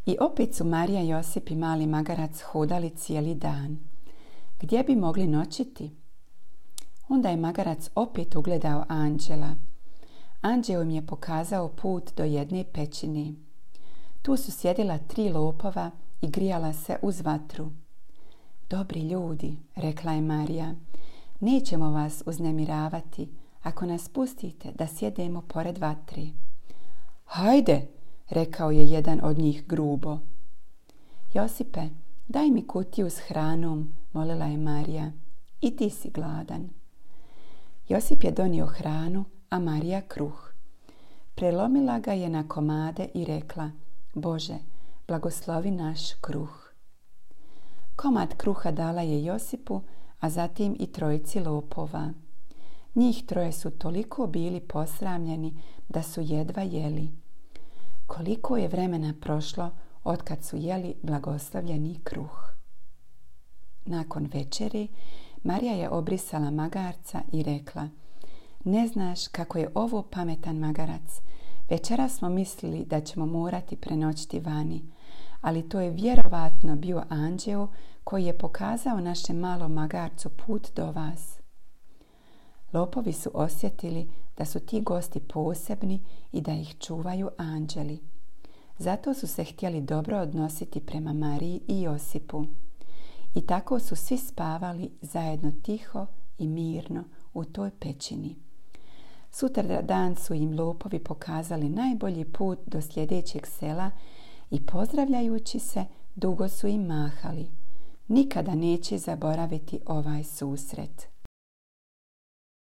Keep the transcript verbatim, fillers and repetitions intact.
I opet su Marija, Josip i mali magarac hodali cijeli dan. Gdje bi mogli noćiti? Onda je magarac opet ugledao anđela. Anđeo im je pokazao put do jedne pećine. Tu su sjedila tri lopova i grijala se uz vatru. Dobri ljudi, rekla je Marija, nećemo vas uznemiravati ako nas pustite da sjedemo pored vatre. Hajde, rekao je jedan od njih grubo. Josipe, daj mi kutiju s hranom, molila je Marija. I ti si gladan. Josip je donio hranu, a Marija kruh. Prelomila ga je na komade i rekla, Bože, blagoslovi naš kruh. Komad kruha dala je Josipu, a zatim i trojici lopova. Njih troje su toliko bili posramljeni da su jedva jeli. Koliko je vremena prošlo otkad su jeli blagoslovljeni kruh. Nakon večeri, Marija je obrisala magarca i rekla, ne znaš kako je ovo pametan magarac. Večeras smo mislili da ćemo morati prenoćiti vani, ali to je vjerovatno bio anđeo koji je pokazao našem malom magarcu put do vas. Lopovi su osjetili da su ti gosti posebni i da ih čuvaju anđeli. Zato su se htjeli dobro odnositi prema Mariji i Josipu. I tako su svi spavali zajedno tiho i mirno u toj pećini. Sutra dan su im lopovi pokazali najbolji put do sljedećeg sela i pozdravljajući se dugo su im mahali. Nikada neće zaboraviti ovaj susret.